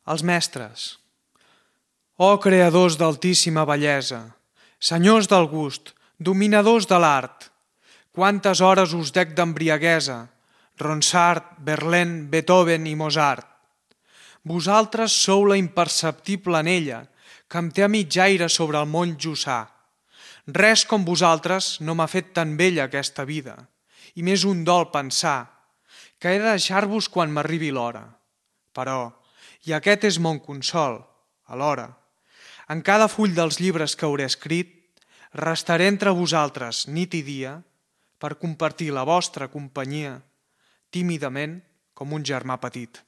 Els mestres. Ó creadors d'altíssima bellesa, senyors del gust, dominadors de l'art, quantes hores us dec d'embriaguesa, Ronsard, Verlaine, Beethoven i Mozart. Vosaltres sou la imperceptible anella que em té a mitjaire sobre el món jussà. Res com vosaltres no m'ha fet tan bella aquesta vida, i més un dol pensar que he de deixar-vos quan m'arribi l'hora. Però, i aquest és mon consol, alhora, en cada full dels llibres que hauré escrit, restaré entre vosaltres nit i dia per compartir la vostra companyia tímidament com un germà petit.